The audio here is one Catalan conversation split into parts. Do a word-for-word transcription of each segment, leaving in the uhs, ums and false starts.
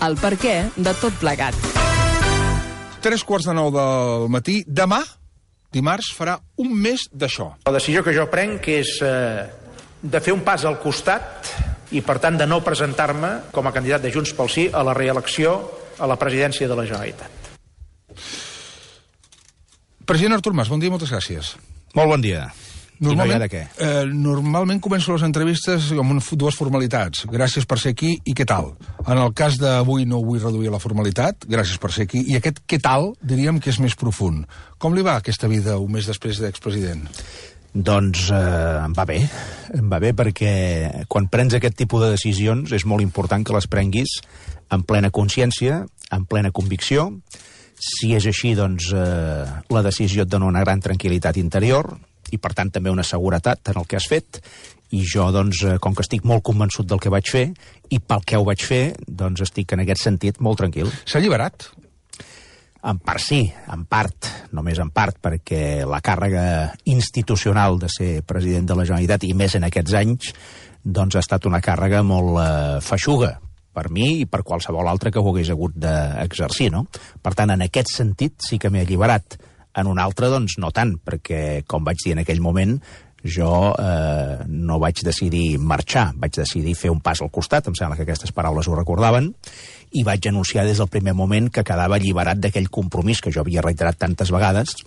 el perquè de tot plegat. Tres quarts de nou del matí. Demà, dimarts, farà un mes d'això. La decisió que jo prenc és eh, de fer un pas al costat i, per tant, de no presentar-me com a candidat de Junts pel Sí a la reelecció a la presidència de la Generalitat. President Artur Mas, bon dia, moltes gràcies. Molt bon dia. Normalment, I no hi ha de què. Eh, normalment començo les entrevistes amb dues formalitats. Gràcies per ser aquí i què tal? En el cas d'avui no vull reduir la formalitat, gràcies per ser aquí, i aquest què tal diríem que és més profund. Com li va aquesta vida un mes després d'expresident? Doncs eh, em va bé. Em va bé perquè quan prens aquest tipus de decisions és molt important que les prenguis en plena consciència, en plena convicció. Si és així, doncs eh, la decisió et dona una gran tranquil·litat interior i, per tant, també una seguretat en el que has fet. I jo, doncs, com que estic molt convençut del que vaig fer i pel que ho vaig fer, doncs estic en aquest sentit molt tranquil. S'ha alliberat? En part sí, en part, només en part, perquè la càrrega institucional de ser president de la Generalitat, i més en aquests anys, doncs ha estat una càrrega molt eh, feixuga per mi i per qualsevol altre que ho hagués hagut d'exercir, no? Per tant, en aquest sentit sí que m'he alliberat. En un altre, doncs, no tant, perquè, com vaig dir en aquell moment, jo eh, no vaig decidir marxar, vaig decidir fer un pas al costat, em sembla que aquestes paraules ho recordaven, i vaig anunciar des del primer moment que quedava alliberat d'aquell compromís que jo havia reiterat tantes vegades,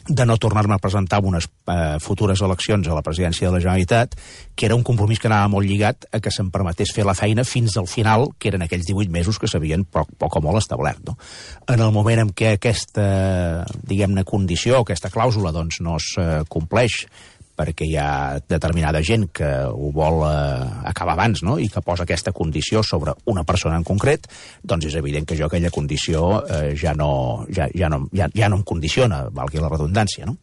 de no tornar-me a presentar en unes eh, futures eleccions a la presidència de la Generalitat, que era un compromís que anava molt lligat a que se'm permetés fer la feina fins al final, que eren aquells divuit mesos que s'havien poc, poc o molt establert. No? En el moment en què aquesta, diguem-ne, condició, aquesta clàusula, doncs, no es eh, compleix, perquè hi ha determinada gent que ho vol eh, acabar abans, no? I que posa aquesta condició sobre una persona en concret, doncs és evident que jo aquella condició eh, ja, no, ja, ja, no, ja, ja no em condiciona, valgui la redundància, no?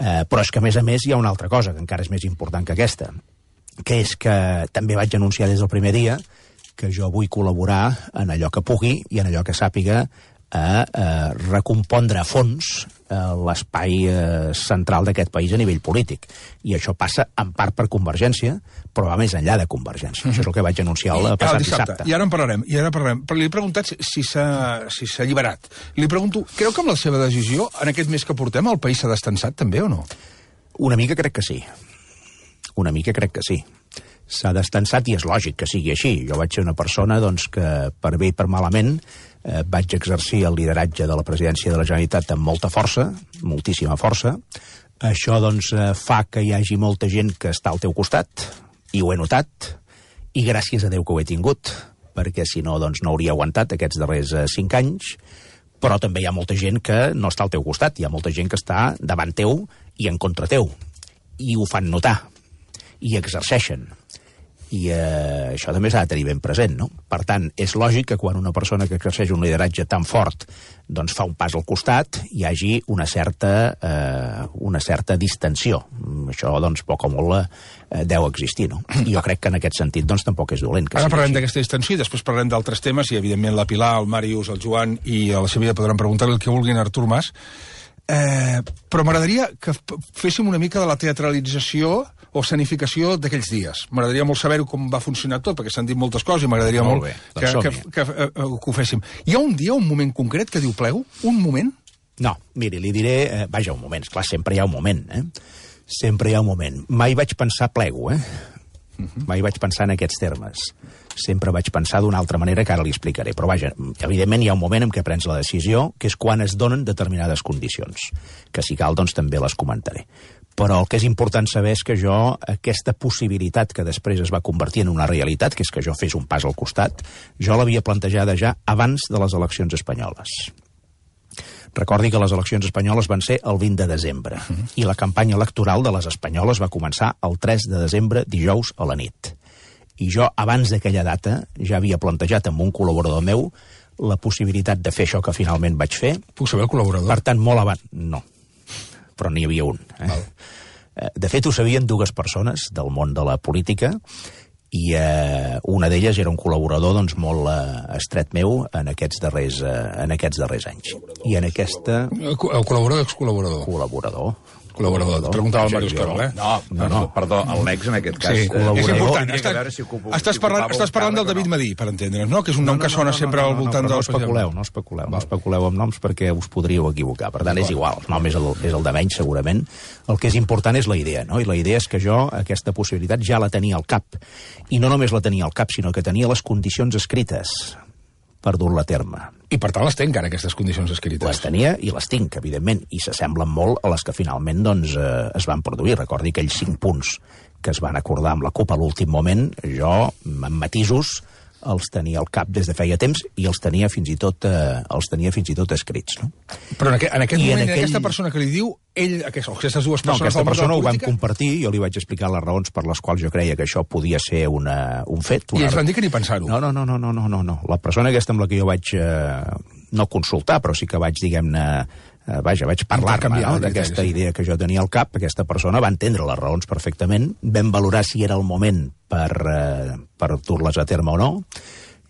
Eh, però és que, a més a més, hi ha una altra cosa que encara és més important que aquesta, que és que també vaig anunciar des del primer dia que jo vull col·laborar en allò que pugui i en allò que sàpiga a eh, recompondre a fons eh, l'espai eh, central d'aquest país a nivell polític. I això passa en part per Convergència, però va més enllà de Convergència. Mm-hmm. Això és el que vaig anunciar el passat dissabte. dissabte. I ara en parlarem, i ara en parlarem. Però li he preguntat si s'ha si s'ha alliberat. Li pregunto, creu que amb la seva decisió, en aquest mes que portem, el país s'ha destensat també o no? Una mica crec que sí. Una mica crec que sí. S'ha destensat i és lògic que sigui així. Jo vaig ser una persona doncs, que, per bé i per malament, eh, vaig exercir el lideratge de la presidència de la Generalitat amb molta força, moltíssima força. Això doncs, eh, fa que hi hagi molta gent que està al teu costat, i ho he notat, i gràcies a Déu que ho he tingut, perquè si no, doncs, no hauria aguantat aquests darrers eh, cinc anys, però també hi ha molta gent que no està al teu costat, hi ha molta gent que està davant teu i en contra teu, i ho fan notar, i exerceixen. I eh, això també s'ha de tenir ben present, no? Per tant, és lògic que quan una persona que exerceix un lideratge tan fort doncs fa un pas al costat hi hagi una certa, eh, una certa distensió. Això, doncs, poc o molt eh, deu existir, no? I jo crec que en aquest sentit, doncs, tampoc és dolent. Que Ara parlem així. d'aquesta distensió i després parlem d'altres temes i, evidentment, la Pilar, el Màrius, el Joan i a la Sevilla podran preguntar-li el que vulguin a Artur Mas. Eh, però m'agradaria que féssim una mica de la teatralització o escenificació d'aquells dies. M'agradaria molt saber com va funcionar tot, perquè s'han dit moltes coses i m'agradaria molt, molt bé, que, que, que, que, que ho féssim. Hi ha un dia, un moment concret que diu plego? Un moment? No, miri, li diré... Eh, vaja, un moment, esclar, sempre hi ha un moment, eh? Sempre hi ha un moment. Mai vaig pensar plego, eh? Uh-huh. Mai vaig pensar en aquests termes. Sempre vaig pensar d'una altra manera que ara li explicaré. Però vaja, evidentment hi ha un moment en què prens la decisió, que és quan es donen determinades condicions, que si cal, doncs també les comentaré. Però el que és important saber és que jo, aquesta possibilitat que després es va convertir en una realitat, que és que jo fes un pas al costat, jo l'havia plantejada ja abans de les eleccions espanyoles. Recordi que les eleccions espanyoles van ser el vint de desembre, uh-huh. i la campanya electoral de les espanyoles va començar el tres de desembre, dijous a la nit. I jo, abans d'aquella data, ja havia plantejat amb un col·laborador meu la possibilitat de fer això que finalment vaig fer. Puc saber el col·laborador? Per tant, molt abans... No, però n'hi havia un. Eh? De fet, ho sabien dues persones del món de la política i eh, una d'elles era un col·laborador doncs, molt eh, estret meu en aquests, darrers, eh, en aquests darrers anys. I en aquesta... El col·laborador o excol·laborador? Col·laborador. col·laborador. Et preguntava el Màrius Carol, eh? No, no, no, perdó, l'ex en aquest cas. Sí, és important. Estàs, si estàs parlant, estàs parlant del David Madí, per entendre'ns, no? Que és un nom que sona sempre al voltant del... No especuleu, no especuleu, no especuleu amb noms perquè us podríeu equivocar. Per tant, és igual, el nom és el, és el de menys, segurament. El que és important és la idea, no? I la idea és que jo aquesta possibilitat ja la tenia al cap. I no només la tenia al cap, sinó que tenia les condicions escrites per dur-la a terme. I per tant les té encara, aquestes condicions escrites. Les tenia i les tinc, evidentment, i s'assemblen molt a les que finalment doncs, eh, es van produir. Recordi aquells cinc punts que es van acordar amb la CUP a l'últim moment, jo, amb matisos, els tenia al cap des de feia temps i els tenia fins i tot, eh, els tenia fins i tot escrits. No? Però en, aqu en aquest I moment, en aquell... aquesta persona que li diu, ell, aquest, aquestes dues persones... No, aquesta persona ho vam compartir, jo li vaig explicar les raons per les quals jo creia que això podia ser una, un fet. Una... I ens van dir que ni pensar-ho. No, no, no, no, no, no, no. La persona aquesta amb la que jo vaig, eh, no consultar, però sí que vaig, diguem-ne, eh, vaja, vaig parlar-me no, d'aquesta sí. idea que jo tenia al cap. Aquesta persona va entendre les raons perfectament, vam valorar si era el moment per, eh, per dur-les a terme o no.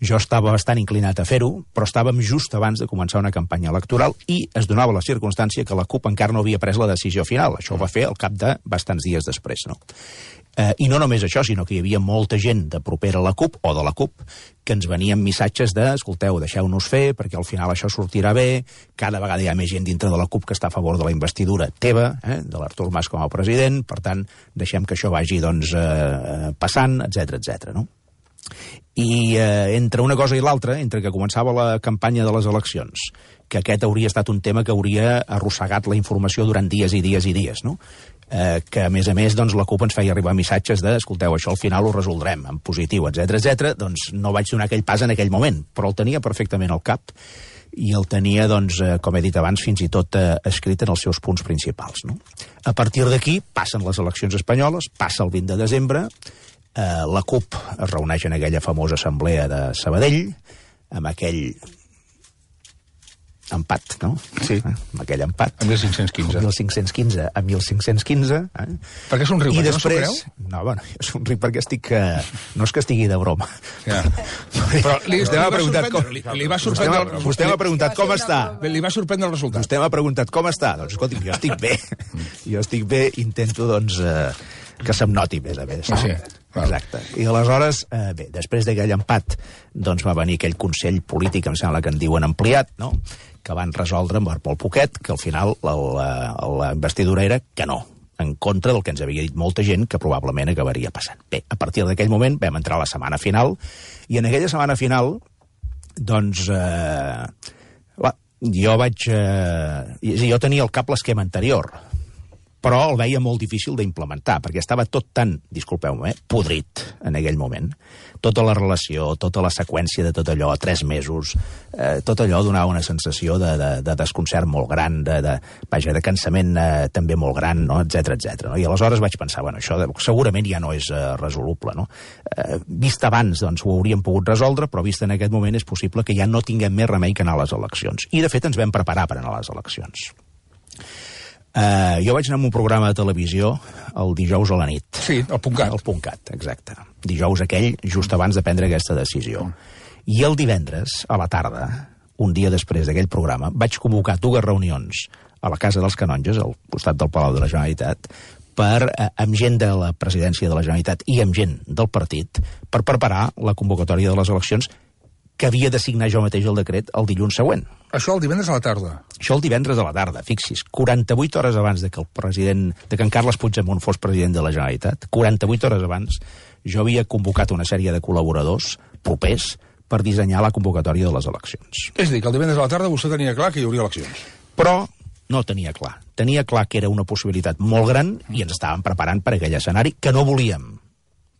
Jo estava bastant inclinat a fer-ho, però estàvem just abans de començar una campanya electoral i es donava la circumstància que la CUP encara no havia pres la decisió final. Això ho va fer al cap de bastants dies després. No? Eh, I no només això, sinó que hi havia molta gent de propera a la CUP, o de la CUP, que ens venien missatges de, escolteu, deixeu-nos fer, perquè al final això sortirà bé, cada vegada hi ha més gent dintre de la CUP que està a favor de la investidura teva, eh, de l'Artur Mas com a president, per tant, deixem que això vagi doncs, eh, passant, etcètera, etcètera, no? I eh, entre una cosa i l'altra, entre que començava la campanya de les eleccions, que aquest hauria estat un tema que hauria arrossegat la informació durant dies i dies i dies, no? Eh, que a més a més doncs, la CUP ens feia arribar missatges de, escolteu, això al final ho resoldrem en positiu, etcètera, etcètera, doncs no vaig donar aquell pas en aquell moment, però el tenia perfectament al cap i el tenia, doncs, eh, com he dit abans, fins i tot eh, escrit en els seus punts principals, no? A partir d'aquí passen les eleccions espanyoles, passa el vint de desembre, eh, la CUP es reuneix en aquella famosa assemblea de Sabadell, amb aquell empat, no? Sí. Eh? Amb aquell empat. A mil cinc-cents quinze. mil cinc-cents quinze a mil cinc-cents quinze. Eh? Per què somriu? I perquè després... no s'ho creu? No, bueno, jo somric perquè estic... Eh... No és que estigui de broma. Ja. Però li, vostè m'ha preguntat com... Li, li va sorprendre... Vostè, vostè m'ha preguntat com està. Li va sorprendre el resultat. Vostè m'ha preguntat com està. Doncs, escolti, jo estic bé. Jo estic bé, intento, doncs, eh, que se'm noti més a més. Ah, sí. Exacte. I aleshores, eh, bé, després d'aquell empat, doncs va venir aquell Consell Polític, em sembla que en diuen ampliat, no?, que van resoldre amb molt poquet, que al final la, la, la investidura era que no, en contra del que ens havia dit molta gent que probablement acabaria passant. Bé, a partir d'aquell moment vam entrar a la setmana final, i en aquella setmana final, doncs, eh, va, jo vaig... Eh, jo tenia al cap l'esquema anterior, però el veia molt difícil d'implementar, perquè estava tot tan, disculpeu-me, eh, podrit en aquell moment. Tota la relació, tota la seqüència de tot allò, tres mesos, eh, tot allò donava una sensació de, de, de desconcert molt gran, de, de, vaja, de cansament eh, també molt gran, no?, etcètera, etcètera. No? I aleshores vaig pensar, bueno, això segurament ja no és eh, resoluble, no? Eh, vist abans, doncs, ho hauríem pogut resoldre, però vist en aquest moment és possible que ja no tinguem més remei que anar a les eleccions. I, de fet, ens vam preparar per anar a les eleccions. Uh, jo vaig anar a un programa de televisió el dijous a la nit. Sí, el Puntcat. El Puntcat, exacte. Dijous aquell, just abans de prendre aquesta decisió. I el divendres, a la tarda, un dia després d'aquell programa, vaig convocar dues reunions a la Casa dels Canonges, al costat del Palau de la Generalitat, per, eh, amb gent de la presidència de la Generalitat i amb gent del partit, per preparar la convocatòria de les eleccions que havia de signar jo mateix el decret el dilluns següent. Això el divendres a la tarda? Això el divendres a la tarda, fixis. quaranta-vuit hores abans de que el president, de que en Carles Puigdemont fos president de la Generalitat, quaranta-vuit hores abans, jo havia convocat una sèrie de col·laboradors propers per dissenyar la convocatòria de les eleccions. És a dir, que el divendres a la tarda vostè tenia clar que hi hauria eleccions. Però no tenia clar. Tenia clar que era una possibilitat molt gran i ens estàvem preparant per aquell escenari que no volíem,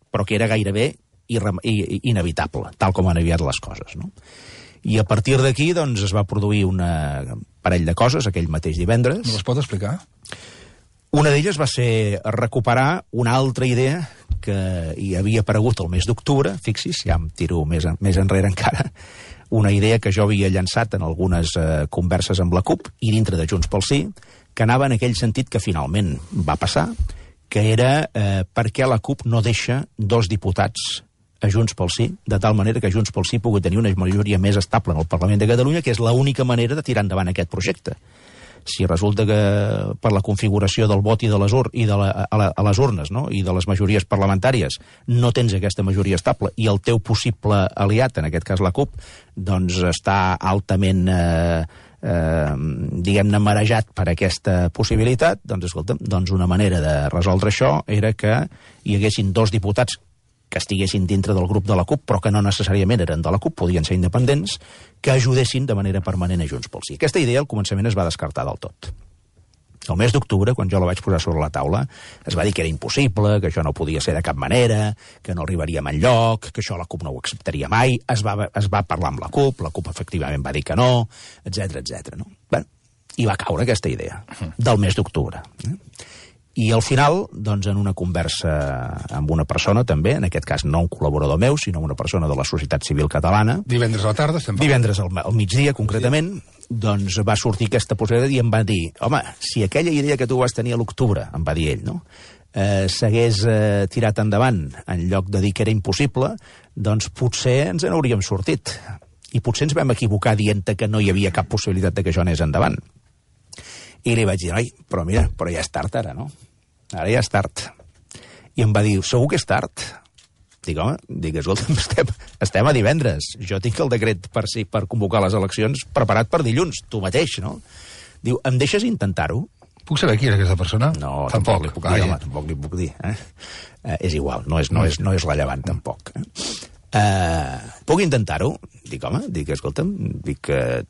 però que era gairebé inevitable, tal com han aviat les coses, no? I a partir d'aquí, doncs, es va produir una parell de coses aquell mateix divendres. Me les pot explicar? Una d'elles va ser recuperar una altra idea que hi havia aparegut el mes d'octubre, fixis, ja em tiro més, més enrere encara, una idea que jo havia llançat en algunes eh, converses amb la CUP i dintre de Junts pel Sí, que anava en aquell sentit que finalment va passar, que era eh, per què la CUP no deixa dos diputats a Junts pel Sí, de tal manera que Junts pel Sí pugui tenir una majoria més estable en el Parlament de Catalunya, que és l'única manera de tirar endavant aquest projecte. Si resulta que per la configuració del vot i de les, ur i de la, a, la, a les urnes, no?, i de les majories parlamentàries, no tens aquesta majoria estable i el teu possible aliat, en aquest cas la CUP, doncs està altament... Eh, Eh, diguem-ne, marejat per aquesta possibilitat, doncs, escolta'm, doncs una manera de resoldre això era que hi haguessin dos diputats que estiguessin dintre del grup de la CUP, però que no necessàriament eren de la CUP, podien ser independents, que ajudessin de manera permanent a Junts pel Sí. Aquesta idea al començament es va descartar del tot. El mes d'octubre, quan jo la vaig posar sobre la taula, es va dir que era impossible, que això no podia ser de cap manera, que no arribaríem enlloc, que això la CUP no ho acceptaria mai, es va, es va parlar amb la CUP, la CUP efectivament va dir que no, etcètera, etcètera. No? Bé, i va caure aquesta idea, del mes d'octubre. Eh? I al final, doncs, en una conversa amb una persona, també, en aquest cas no un col·laborador meu, sinó una persona de la societat civil catalana... Divendres a la tarda, estem parlant. Divendres al, al migdia, concretament, doncs va sortir aquesta possibilitat i em va dir, home, si aquella idea que tu vas tenir a l'octubre, em va dir ell, no?, eh, s'hagués eh, tirat endavant en lloc de dir que era impossible, doncs potser ens n'hauríem sortit. I potser ens vam equivocar dient que no hi havia cap possibilitat de que això anés endavant. I li vaig dir, noi, però mira, però ja és tard ara, no? Ara ja és tard. I em va dir, segur que és tard? Dic, home, dic, escolta, estem, estem a divendres. Jo tinc el decret per, si, per convocar les eleccions preparat per dilluns, tu mateix, no? Diu, em deixes intentar-ho? Puc saber qui és aquesta persona? No, tampoc, tampoc li puc dir, home, tampoc li puc dir. Eh? Eh, és igual, no és, no és, no és rellevant, tampoc. Eh? Eh, puc intentar-ho? Dic, home, dic, escolta'm, dic, eh,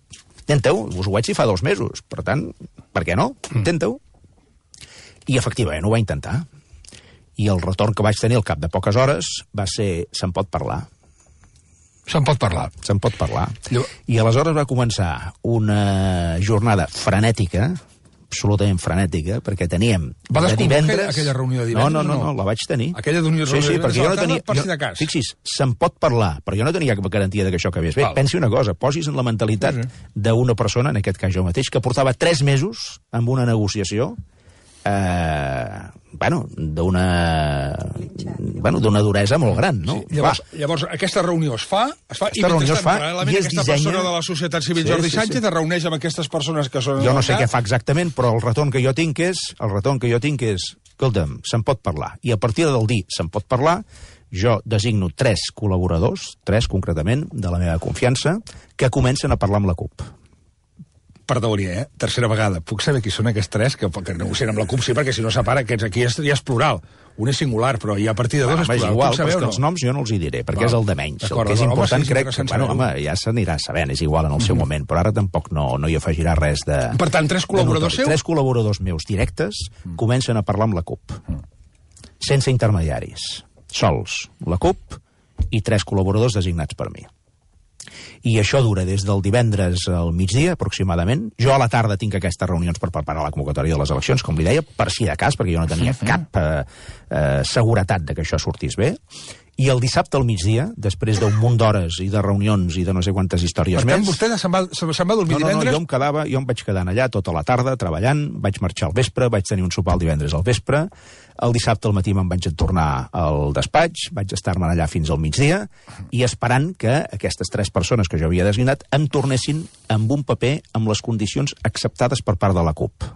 intenta-ho, us ho vaig dir fa dos mesos, per tant, per què no? Intenta-ho. I efectivament ho va intentar. I el retorn que vaig tenir al cap de poques hores va ser, se'n pot parlar. Se'n pot parlar. Se'n pot parlar. Llo... I aleshores va començar una jornada frenètica, absolutament frenètica, perquè teníem va de divendres... aquella reunió de divendres? No, no, no, no, la vaig tenir. Aquella reunió de sí, sí, divendres perquè jo no tenia... per jo, si de cas. Fixis, se'n pot parlar, però jo no tenia cap garantia de que això acabés bé. Val. Pensi una cosa, posis en la mentalitat sí, sí. d'una persona, en aquest cas jo mateix, que portava tres mesos amb una negociació eh, bueno, d'una bueno, d'una duresa molt gran, no? Sí, llavors, llavors, aquesta reunió es fa, es fa aquesta reunió es fa i es aquesta dissenya... persona de la societat civil, sí, Jordi sí, Sánchez, sí. es reuneix amb aquestes persones que són... Jo no sé què fa exactament, però el retorn que jo tinc és, el retorn que jo tinc és, escolta'm, se'n pot parlar. I a partir del dir se'n pot parlar, jo designo tres col·laboradors, tres concretament, de la meva confiança, que comencen a parlar amb la CUP. Perdoni, eh? Tercera vegada. Puc saber qui són aquests tres que, que negocien amb la CUP? Sí, perquè si no separa, aquests aquí ja és plural. Un és singular, però ja a partir de dos ah, és plural. És igual, però no? Els noms jo no els hi diré, perquè val. És el de menys. El que és important, home, sí, crec que, bueno, home, ja s'anirà sabent, és igual en el seu mm-hmm. moment, però ara tampoc no, no hi afegirà res de... Per tant, tres col·laboradors seus? Tres col·laboradors meus directes mm. comencen a parlar amb la CUP. Mm. Sense intermediaris. Sols. La CUP i tres col·laboradors designats per mi. I això dura des del divendres al migdia, aproximadament. Jo a la tarda tinc aquestes reunions per preparar la convocatòria de les eleccions, com li deia, per si de cas, perquè jo no tenia cap eh, eh, seguretat de que això sortís bé. I el dissabte al migdia, després d'un munt d'hores i de reunions i de no sé quantes històries per tant, més... vostè se'n va, se'n va dormir no, no, divendres? No, jo em quedava, jo em vaig quedar allà tota la tarda treballant, vaig marxar al vespre, vaig tenir un sopar el divendres al vespre, el dissabte al matí me'n vaig tornar al despatx, vaig estar-me allà fins al migdia, i esperant que aquestes tres persones que jo havia designat em tornessin amb un paper amb les condicions acceptades per part de la CUP.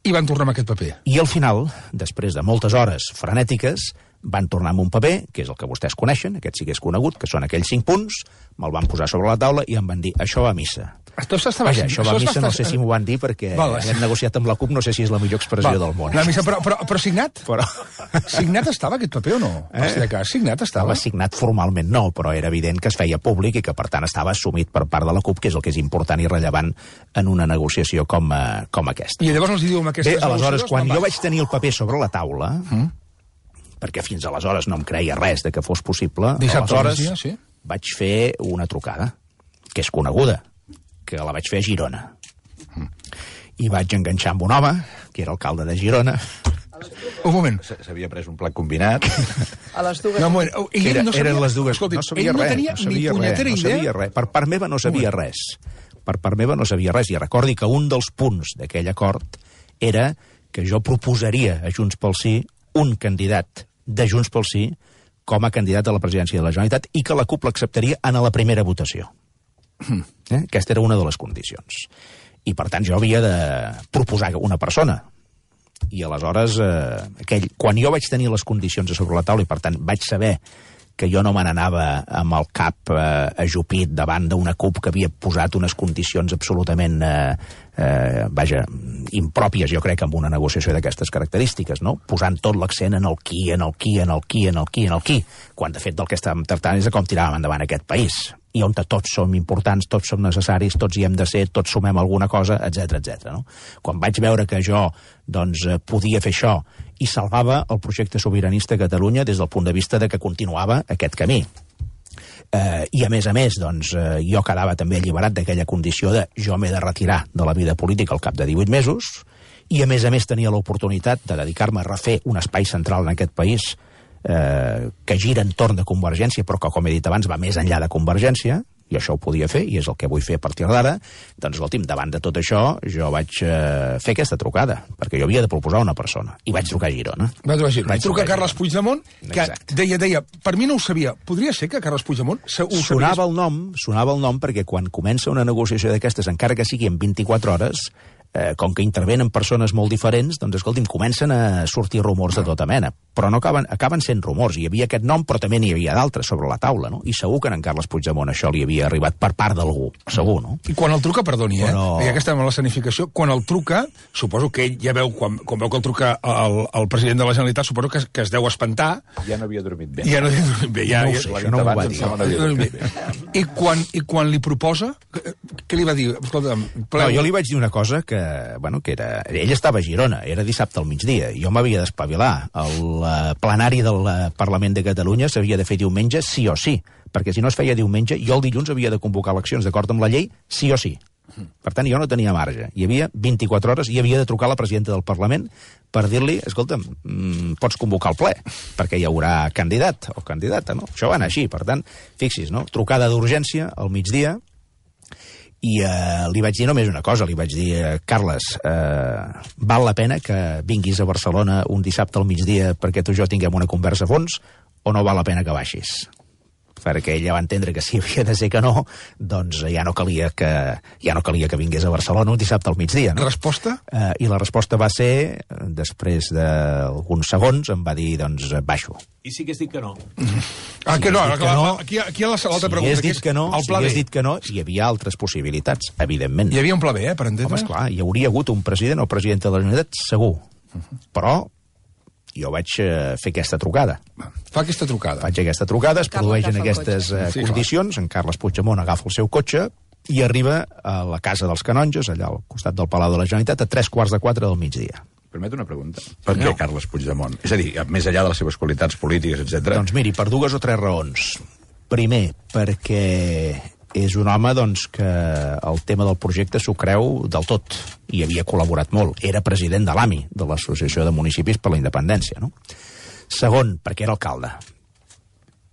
I van tornar amb aquest paper. I al final, després de moltes hores frenètiques, van tornar amb un paper, que és el que vostès coneixen, aquest sí que és conegut, que són aquells cinc punts, me'l van posar sobre la taula i em van dir, això va a missa. Això, Vaja, això va a missa, no sé si m'ho van dir, perquè val, hem negociat amb la CUP, no sé si és la millor expressió val. Del món. La missa, però, però, però signat? Però... Signat estava aquest paper o no? Eh? Si de cas, signat estava? No, signat formalment no, però era evident que es feia públic i que, per tant, estava assumit per part de la CUP, que és el que és important i rellevant en una negociació com, uh, com aquesta. I llavors els diu amb aquestes Bé, aleshores, quan jo vaig tenir el paper sobre la taula, mm. perquè fins aleshores no em creia res de que fos possible, dissabte aleshores dia, sí? vaig fer una trucada, que és coneguda, que la vaig fer a Girona. Mm. I vaig enganxar amb un home, que era alcalde de Girona. Un moment. S'havia pres un plat combinat. A les dues... No, un moment. Ell Era, no sabia... Eren les dues. Escolti, no sabia ell no res, tenia no sabia ni res, punyetera no idea. sabia res. Per part meva no sabia res. Per part meva no sabia res. I recordi que un dels punts d'aquell acord era que jo proposaria a Junts pel Sí un candidat de Junts pel Sí com a candidat a la presidència de la Generalitat i que la CUP l'acceptaria en la primera votació. Eh? Aquesta era una de les condicions. I, per tant, jo havia de proposar una persona. I aleshores, eh, aquell, quan jo vaig tenir les condicions a sobre la taula i, per tant, vaig saber que jo no me n'anava amb el cap eh, ajupit davant d'una CUP que havia posat unes condicions absolutament, eh, eh, vaja, impròpies, jo crec, amb una negociació d'aquestes característiques, no? Posant tot l'accent en el qui, en el qui, en el qui, en el qui, en el qui, quan de fet del que estàvem tractant és de com tiràvem endavant aquest país, i on tots som importants, tots som necessaris, tots hi hem de ser, tots sumem alguna cosa, etcètera, etcètera. No? Quan vaig veure que jo doncs, podia fer això i salvava el projecte sobiranista a Catalunya des del punt de vista de que continuava aquest camí. Eh, I, a més a més, doncs, eh, jo quedava també alliberat d'aquella condició de jo m'he de retirar de la vida política al cap de divuit mesos i, a més a més, tenia l'oportunitat de dedicar-me a refer un espai central en aquest país eh, que gira entorn de Convergència, però que, com he dit abans, va més enllà de Convergència, i això ho podia fer, i és el que vull fer a partir d'ara. Doncs, escolti'm, davant de tot això, jo vaig eh, fer aquesta trucada, perquè jo havia de proposar una persona, i vaig trucar a Girona. Va trucar a Girona. Vaig I truca trucar a Carles Puigdemont, que Exacte. deia, deia, per mi no ho sabia, podria ser que Carles Puigdemont ho sabies? Sonava el nom, sonava el nom perquè quan comença una negociació d'aquestes, encara que sigui en vint-i-quatre hores, eh, com que intervenen persones molt diferents, doncs, escolti'm, comencen a sortir rumors de tota mena, però no acaben, acaben sent rumors. Hi havia aquest nom, però també n'hi havia d'altres sobre la taula, no? I segur que en Carles Puigdemont això li havia arribat per part d'algú, segur, no? I quan el truca, perdoni, eh? Però... Ja que estem a la escenificació, quan el truca, suposo que ell ja veu, quan, quan veu que el truca el, el president de la Generalitat, suposo que, que es deu espantar. Ja no havia dormit bé. Ja no havia dormit bé. Ja, No ho ja, sé, això no m'ho va dir. No havia dormit bé. I quan, I quan li proposa, què li va dir? Escolta'm, No, jo li vaig dir una cosa que, bueno, que era... Ell estava a Girona, era dissabte al migdia, jo m'havia d'espavilar. El uh, plenari del uh, Parlament de Catalunya s'havia de fer diumenge sí o sí, perquè si no es feia diumenge, jo el dilluns havia de convocar eleccions d'acord amb la llei sí o sí. Per tant, jo no tenia marge. Hi havia vint-i-quatre hores i havia de trucar a la presidenta del Parlament per dir-li, escolta'm, mmm, pots convocar el ple, perquè hi haurà candidat o candidata, no? Això va anar així, per tant, fixis, no? Trucada d'urgència al migdia, i eh, li vaig dir només una cosa, li vaig dir, eh, Carles, eh, val la pena que vinguis a Barcelona un dissabte al migdia perquè tu i jo tinguem una conversa a fons, o no val la pena que baixis? Perquè ella va entendre que si havia de ser que no, doncs ja no calia que, ja no calia que vingués a Barcelona un dissabte al migdia. No? Resposta? Eh, I la resposta va ser, després d'alguns segons, em va dir, doncs, baixo. I si hagués dit que no? Ah, que no, dit que clar, no, aquí, aquí a l'altra Si pregunta, hagués que dit és que no, el si pla hagués B. dit que no, hi havia altres possibilitats, evidentment. Hi havia un pla B, eh, per entendre? Home, esclar, hi hauria hagut un president o presidenta de la Generalitat, segur. Però jo vaig eh, fer aquesta trucada. Fa aquesta trucada. Faig aquesta trucada, es Carles produeixen agafa el aquestes eh, Sí, clar. condicions, en Carles Puigdemont agafa el seu cotxe i arriba a la Casa dels Canonges, allà al costat del Palau de la Generalitat, a tres quarts de quatre del migdia. Permet una pregunta. Per què Carles Puigdemont? És a dir, més enllà de les seves qualitats polítiques, etcètera. Doncs miri, per dues o tres raons. Primer, perquè és un home doncs, que el tema del projecte s'ho creu del tot i havia col·laborat molt. Era president de l'A M I, de l'Associació de Municipis per la Independència. No? Segon, perquè era alcalde.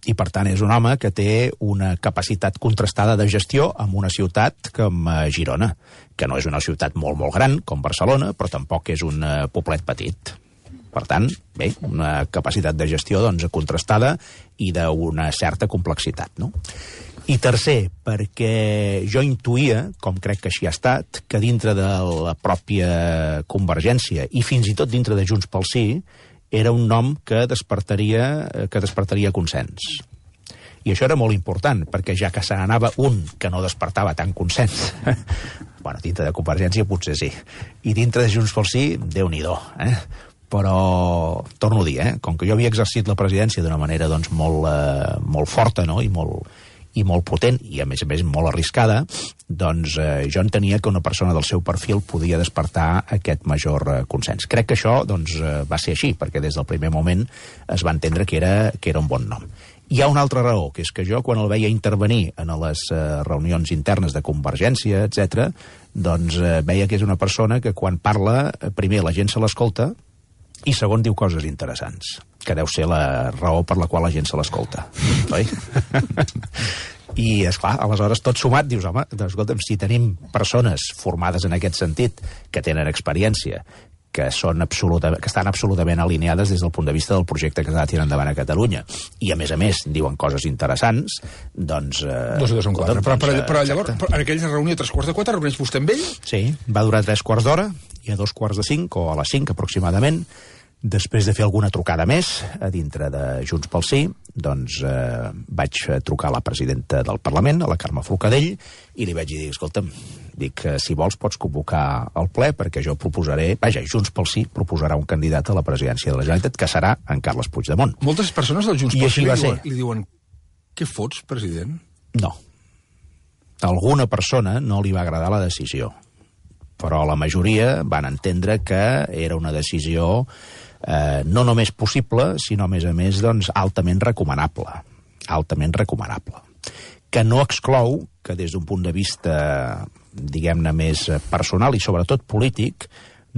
I, per tant, és un home que té una capacitat contrastada de gestió en una ciutat com Girona, que no és una ciutat molt, molt gran, com Barcelona, però tampoc és un poblet petit. Per tant, bé, una capacitat de gestió doncs, contrastada i d'una certa complexitat. No? I tercer, perquè jo intuïa, com crec que així ha estat, que dintre de la pròpia Convergència i fins i tot dintre de Junts pel Sí, era un nom que despertaria, que despertaria consens. I això era molt important, perquè ja que se n'anava un que no despertava tant consens, bueno, dintre de Convergència potser sí, i dintre de Junts pel Sí, Déu-n'hi-do, eh? Però, torno a dir, eh? Com que jo havia exercit la presidència d'una manera doncs, molt, eh, molt forta, no? I molt, i molt potent, i a més a més molt arriscada, doncs eh, jo entenia que una persona del seu perfil podia despertar aquest major eh, consens. Crec que això doncs, eh, va ser així, perquè des del primer moment es va entendre que era, que era un bon nom. Hi ha una altra raó, que és que jo, quan el veia intervenir en les eh, reunions internes de Convergència, etcètera, doncs eh, veia que és una persona que quan parla, eh, primer la gent se l'escolta, i segon diu coses interessants, que deu ser la raó per la qual la gent se l'escolta, oi? I, esclar, aleshores tot sumat dius, home, doncs, escolta'm, si tenim persones formades en aquest sentit, que tenen experiència, que, són absoluta, que estan absolutament alineades des del punt de vista del projecte que s'ha de tirar endavant a Catalunya. I, a més a més, diuen coses interessants, doncs... Eh, dos i dos en quatre. Però, però, però llavors, exacte. però en aquella reunió a tres quarts de quatre, reuneix vostè amb ell? Sí, va durar tres quarts d'hora, i a dos quarts de cinc, o a les cinc aproximadament, després de fer alguna trucada més a dintre de Junts pel Sí, doncs eh, vaig trucar a la presidenta del Parlament, a la Carme Forcadell, i li vaig dir, escolta'm, dic, si vols pots convocar el ple, perquè jo proposaré... Vaja, Junts pel Sí proposarà un candidat a la presidència de la Generalitat, que serà en Carles Puigdemont. Moltes persones del Junts I pel així Sí va li, ser. diuen, li diuen, què fots, president? No. A alguna persona no li va agradar la decisió, però la majoria van entendre que era una decisió eh, no només possible, sinó, a més a més, doncs, altament recomanable. Altament recomanable. Que no exclou que des d'un punt de vista, diguem-ne, més personal i sobretot polític,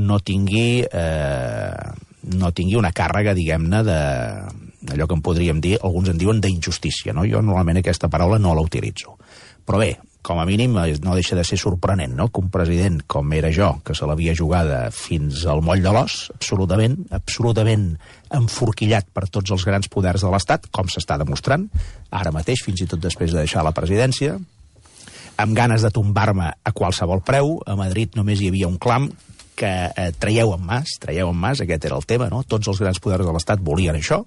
no tingui, eh, no tingui una càrrega, diguem-ne, de allò que en podríem dir, alguns en diuen d'injustícia, no? Jo normalment aquesta paraula no la utilitzo. Però bé, com a mínim no deixa de ser sorprenent, no?, que un president com era jo, que se l'havia jugada fins al moll de l'os, absolutament, absolutament enforquillat per tots els grans poders de l'Estat, com s'està demostrant, ara mateix, fins i tot després de deixar la presidència, amb ganes de tombar-me a qualsevol preu. A Madrid només hi havia un clam, que eh, traieu en Mas, traieu en Mas, aquest era el tema, no? Tots els grans poders de l'Estat volien això,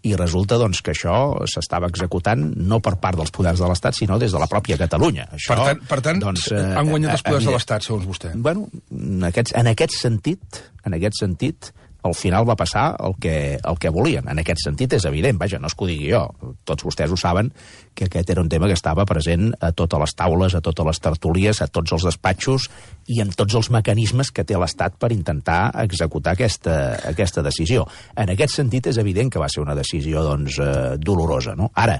i resulta, doncs, que això s'estava executant no per part dels poders de l'Estat, sinó des de la pròpia Catalunya. Això, per tant, per tant doncs, eh, han guanyat els poders eh, de l'Estat, segons vostè. Bueno, en aquest, en aquest sentit, en aquest sentit, al final va passar el que, el que volien. En aquest sentit és evident, vaja, no és que ho digui jo. Tots vostès ho saben, que aquest era un tema que estava present a totes les taules, a totes les tertúlies, a tots els despatxos i en tots els mecanismes que té l'Estat per intentar executar aquesta, aquesta decisió. En aquest sentit és evident que va ser una decisió, doncs, eh, dolorosa, no? Ara,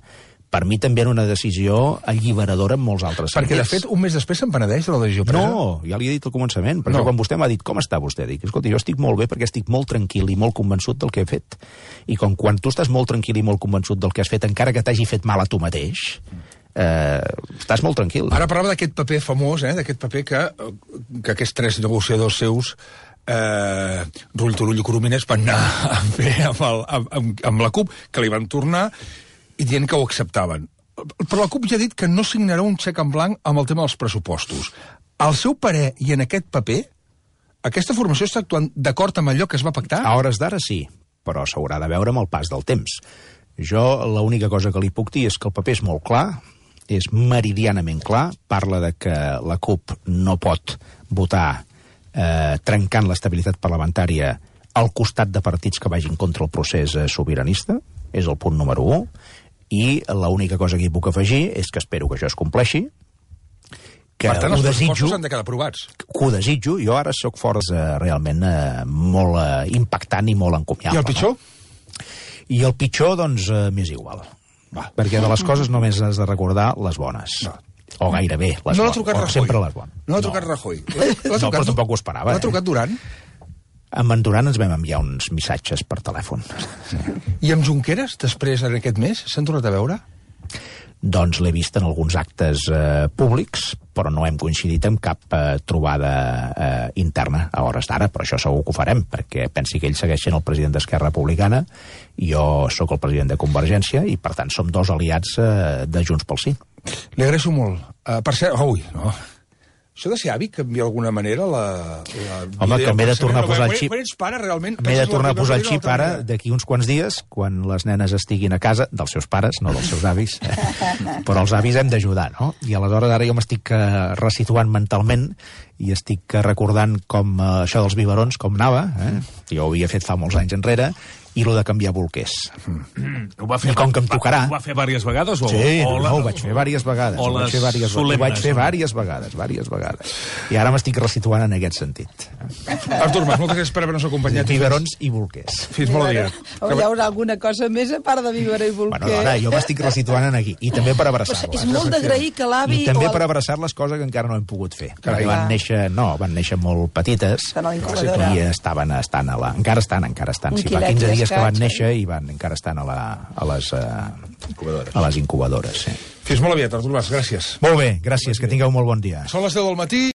per mi també era una decisió alliberadora en molts altres Perquè, sentits. de fet, un mes després se'n penedeix de la decisió presa. No, ja li he dit al començament. Per No. això quan vostè m'ha dit, com està vostè? Dic, escolta, jo estic molt bé perquè estic molt tranquil i molt convençut del que he fet. I com quan tu estàs molt tranquil i molt convençut del que has fet, encara que t'hagi fet mal a tu mateix, eh, estàs molt tranquil. Ara parlava d'aquest paper famós, eh, d'aquest paper que, que aquests tres negociadors seus, eh, Rull, Turull i Coromines, van anar a fer amb, el, amb, amb la CUP, que li van tornar i dient que ho acceptaven. Però la CUP ja ha dit que no signarà un xec en blanc amb el tema dels pressupostos. Al seu parer, i en aquest paper, aquesta formació està actuant d'acord amb allò que es va pactar? A hores d'ara sí, però s'haurà de veure amb el pas del temps. Jo l'única cosa que li puc dir és que el paper és molt clar, és meridianament clar, parla de que la CUP no pot votar eh, trencant l'estabilitat parlamentària al costat de partits que vagin contra el procés eh, sobiranista, és el punt número u, i l'única cosa que hi puc afegir és que espero que això es compleixi, que per tant, ho els desitjo, pressupostos han de quedar aprovats. que ho desitjo, jo ara sóc força eh, realment eh, molt eh, impactant i molt encomiable. I el pitjor? No? I el pitjor, doncs, eh, m'és igual. Va. Perquè de les coses només has de recordar les bones. No. O gairebé les No l'ha bones. trucat O Rajoy. sempre les bones. No l'ha trucat Rajoy. L'ha No, trucat- però tampoc ho esperava. L'ha eh? trucat Duran? Amb en Duran ens vam enviar uns missatges per telèfon. I amb Junqueras, després, en aquest mes, s'han tornat a veure? Doncs l'he vist en alguns actes eh, públics, però no hem coincidit en cap eh, trobada eh, interna a hores d'ara, però això segur que ho farem, perquè pensi que ell segueix sent el president d'Esquerra Republicana, i jo sóc el president de Convergència, i per tant som dos aliats eh, de Junts pel Sí. Li agraeixo molt. Uh, per cert, ui, no... Això de ser avi canvia d'alguna manera la... la Home, que m'he de tornar a posar el xip. Quan ets pare, realment... M'he de tornar a posar el penses la xip teva ara, vida d'aquí uns quants dies, quan les nenes estiguin a casa, dels seus pares, no dels seus avis, però els avis hem d'ajudar, no? I aleshores ara jo m'estic eh, resituant mentalment i estic eh, recordant com eh, això dels biberons, com anava, eh? Jo ho havia fet fa molts anys enrere, i lo de canviar bolquers. Ho va fer, I com que em tocarà... Ho va fer diverses vegades? O, Sí, o no, la, ho vaig fer diverses vegades. o Ho vaig les fer diverses, ho vaig solemnes, fer no? diverses vegades, diverses vegades. I ara m'estic resituant en aquest sentit. Artur Mas, moltes gràcies per haver-nos acompanyat. Biberons i bolquers. Fins molt aviat. O hi haurà alguna cosa més a part de Vivera i Bolquer? Bueno, ara, jo m'estic resituant en aquí. I també per Pues abraçar-les. és molt d'agrair que l'avi... I també o el- per abraçar-les, cosa que encara no hem pogut fer. Carai. Perquè van néixer, no, van néixer molt petites Estan a la incubadora. i estaven, estan a la... Encara estan, encara estan. Un Si fa quilet quinze i dies que van escaig, néixer i van, encara estan a, la, a les... Uh, Incubadores. a les incubadores, sí. Fins molt aviat, Artur Mas, gràcies. Molt bé, gràcies, que tingueu molt bon dia. Són les deu del matí.